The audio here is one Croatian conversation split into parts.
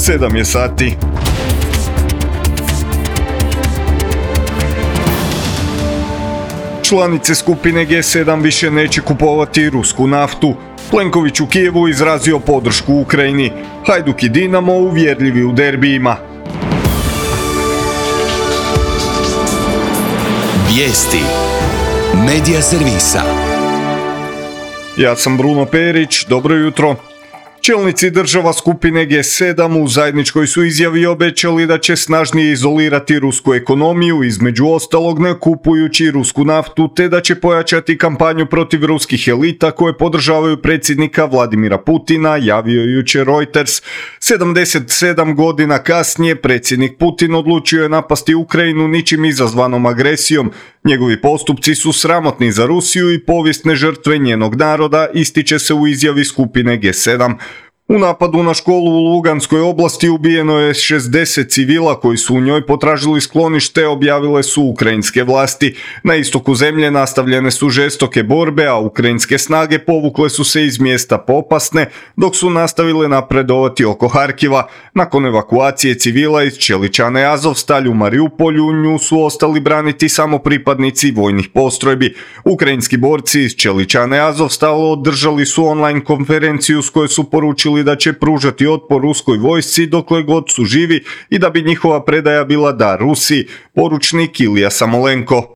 7 je sati. Članice skupine G7 više neće kupovati rusku naftu. Plenković u Kijevu izrazio podršku Ukrajini. Hajduk i Dinamo uvjerljivi u derbijima. Vijesti Medija servisa. Ja sam Bruno Perić, dobro jutro. Čelnici država skupine G7 u zajedničkoj su izjavi obećali da će snažnije izolirati rusku ekonomiju, između ostalog ne kupujući rusku naftu, te da će pojačati kampanju protiv ruskih elita koje podržavaju predsjednika Vladimira Putina, javio jučer Reuters. 77 godina kasnije predsjednik Putin odlučio je napasti Ukrajinu ničim izazvanom agresijom. Njegovi postupci su sramotni za Rusiju i povijesne žrtve njenog naroda, ističe se u izjavi skupine G7. U napadu na školu u Luganskoj oblasti ubijeno je 60 civila koji su u njoj potražili sklonište, objavile su ukrajinske vlasti. Na istoku zemlje nastavljene su žestoke borbe, a ukrajinske snage povukle su se iz mjesta Popasne, dok su nastavile napredovati oko Harkiva. Nakon evakuacije civila iz Čeličane Azovstalj u Mariupolju, nju su ostali braniti samo pripadnici vojnih postrojbi. Ukrajinski borci iz Čeličane Azovstal održali su online konferenciju s kojoj su poručili da će pružati otpor ruskoj vojsci dokle god su živi i da bi njihova predaja bila dar Rusiji, poručnik Ilija Samolenko.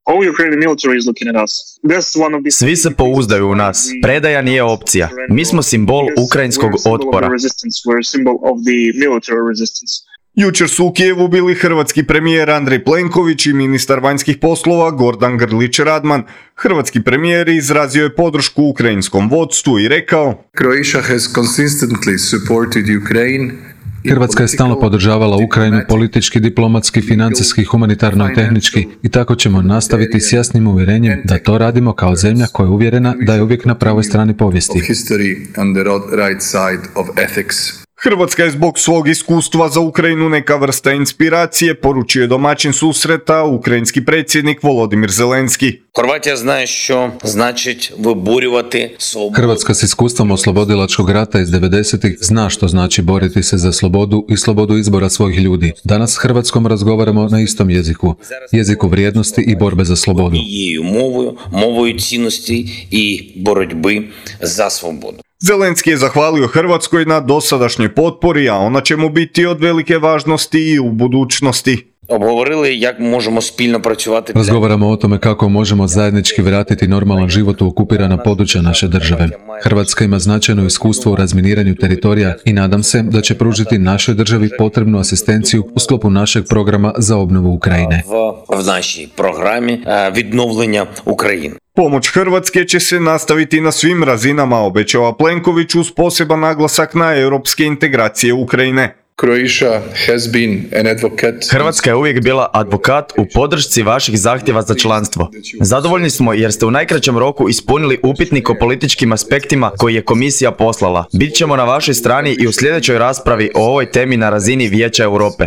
Svi se pouzdaju u nas. Predaja nije opcija. Mi smo simbol ukrajinskog otpora. Jučer su u Kijevu bili hrvatski premijer Andrej Plenković i ministar vanjskih poslova Gordan Grlić Radman. Hrvatski premijer izrazio je podršku ukrajinskom vodstvu i rekao: Hrvatska je stalno podržavala Ukrajinu politički, diplomatski, financijski, humanitarno i tehnički i tako ćemo nastaviti s jasnim uvjerenjem da to radimo kao zemlja koja je uvjerena da je uvijek na pravoj strani povijesti. Hrvatska je zbog svog iskustva za Ukrajinu neka vrsta inspiracije, poručio je domaćin susreta ukrajinski predsjednik Volodimir Zelenski. Hrvatska s iskustvom oslobodilačkog rata iz 90-ih zna što znači boriti se za slobodu i slobodu izbora svojih ljudi. Danas s Hrvatskom razgovaramo na istom jeziku, jeziku vrijednosti i borbe za slobodu. Zelenski je zahvalio Hrvatskoj na dosadašnjoj potpori, a ona će mu biti od velike važnosti i u budućnosti. Razgovaramo o tome kako možemo zajednički vratiti normalan život u okupirana područja naše države. Hrvatska ima značajno iskustvo u razminiranju teritorija i nadam se da će pružiti našoj državi potrebnu asistenciju u sklopu našeg programa za obnovu Ukrajine. Pomoć Hrvatske će se nastaviti na svim razinama, obećava Plenković uz poseban naglasak na europske integracije Ukrajine. Hrvatska je uvijek bila advokat u podršci vaših zahtjeva za članstvo. Zadovoljni smo jer ste u najkraćem roku ispunili upitnik o političkim aspektima koji je komisija poslala. Bit ćemo na vašoj strani i u sljedećoj raspravi o ovoj temi na razini Vijeća Europe.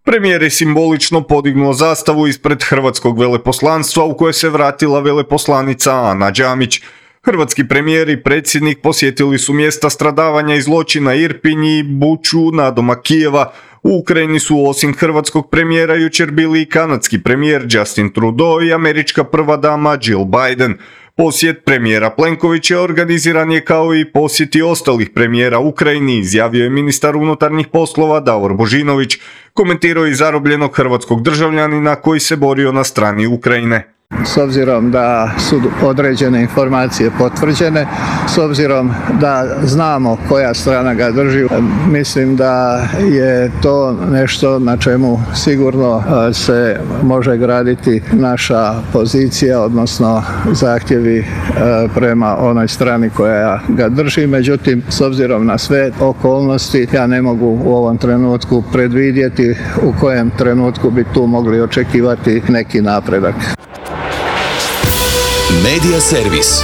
Premijer je simbolično podignuo zastavu ispred hrvatskog veleposlanstva u koje se vratila veleposlanica Ana Đamić. Hrvatski premijer i predsjednik posjetili su mjesta stradavanja i zločina Irpinj i Buču nadomak Kijeva. U Ukrajini su osim hrvatskog premijera jučer bili i kanadski premijer Justin Trudeau i američka prva dama Jill Biden. Posjet premijera Plenkovića organiziran je kao i posjeti ostalih premijera Ukrajini, izjavio je ministar unutarnjih poslova Davor Božinović. Komentirao je zarobljenog hrvatskog državljanina koji se borio na strani Ukrajine. S obzirom da su određene informacije potvrđene, s obzirom da znamo koja strana ga drži, mislim da je to nešto na čemu sigurno se može graditi naša pozicija, odnosno zahtjevi prema onoj strani koja ga drži. Međutim, s obzirom na sve okolnosti, ja ne mogu u ovom trenutku predvidjeti u kojem trenutku bi tu mogli očekivati neki napredak. Medija servis.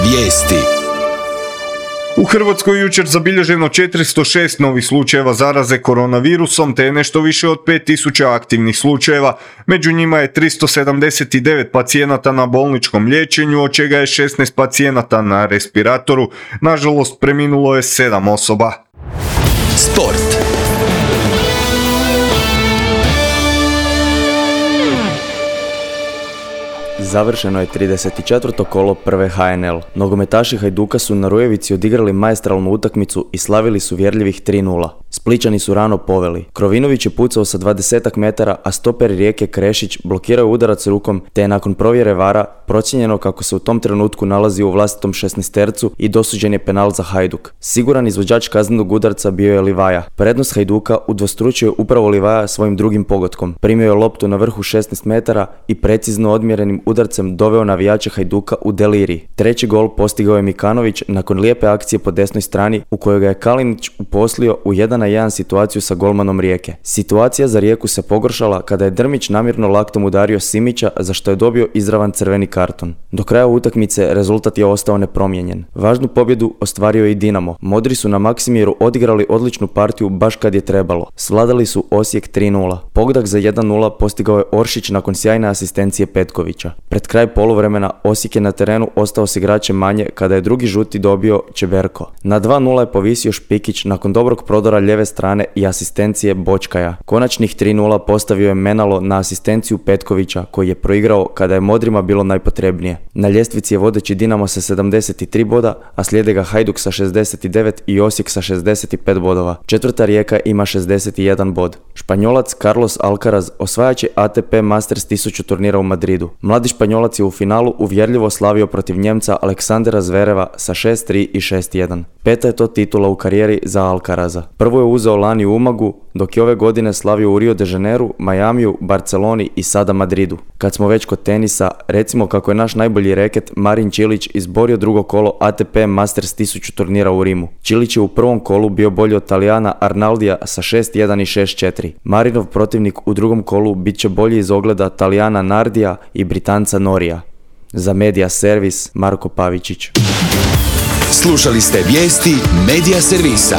Vijesti. U Hrvatskoj jučer zabilježeno 406 novih slučajeva zaraze koronavirusom te nešto više od 5000 aktivnih slučajeva. Među njima je 379 pacijenata na bolničkom liječenju, od čega je 16 pacijenata na respiratoru. Nažalost, preminulo je 7 osoba. Sport. Završeno je 34. kolo prve HNL. Nogometaši Hajduka su na Rujevici odigrali maestralnu utakmicu i slavili su uvjerljivih 3:0. Splićani su rano poveli. Krovinović je pucao sa 20 metara, a stoper Rijeke Krešić blokirao udarac rukom, te je nakon provjere VAR-a procijenjeno kako se u tom trenutku nalazi u vlastitom 16-tercu i dosuđen je penal za Hajduk. Siguran izvođač kaznenog udarca bio je Livaja. Prednost Hajduka udvostručio je upravo Livaja svojim drugim pogotkom. Primio je loptu na vrhu 16 metara i precizno odmjerenim udarcem doveo navijače Hajduka u delirij. Treći gol postigao je Mikanović nakon lijepe akcije po desnoj strani u kojoj ga je Kalinić uposlio u 1-1 situaciju sa golmanom Rijeke. Situacija za Rijeku se pogoršala kada je Drmić namjerno laktom udario Simića, za što je dobio izravan crveni karton. Do kraja utakmice rezultat je ostao nepromijenjen. Važnu pobjedu ostvario je i Dinamo. Modri su na Maksimiru odigrali odličnu partiju baš kad je trebalo. Svladali su Osijek 3:0. Pogodak za 1:0 postigao je Oršić nakon sjajne asistencije Petkovića. Pred kraj poluvremena Osijek je na terenu ostao s igračem manje kada je drugi žuti dobio Čeberko. Na 2:0 je povisio Špikić nakon dobrog prodora lijeve strane i asistencije Bočkaja. Konačnih 3:0 postavio je Menalo na asistenciju Petkovića koji je proigrao kada je Modrima bilo najpotrebnije. Na ljestvici je vodeći Dinamo sa 73 boda, a slijede ga Hajduk sa 69 i Osijek sa 65 bodova. Četvrta Rijeka ima 61 bod. Španjolac Carlos Alcaraz osvajač je ATP Masters 1000 turnira u Madridu. Mladi Španjolac je u finalu uvjerljivo slavio protiv Njemca Aleksandera Zvereva sa 6:3 i 6:1. Peta je to titula u karijeri za Alcaraza. Prvo je uzeo lani u Umagu, dok je ove godine slavio u Rio de Janeiru, Majamiju, Barceloni i sada Madridu. Kad smo već kod tenisa, recimo kako je naš najbolji reket Marin Čilić izborio drugo kolo ATP Masters 1000 turnira u Rimu. Čilić je u prvom kolu bio bolji od Talijana Arnaldija sa 6:1 i 6:4. Marinov protivnik u drugom kolu bit će bolji iz ogleda Talijana Nardija i Britanca Norija. Za Media Servis, Marko Pavičić. Slušali ste vijesti Media Servisa.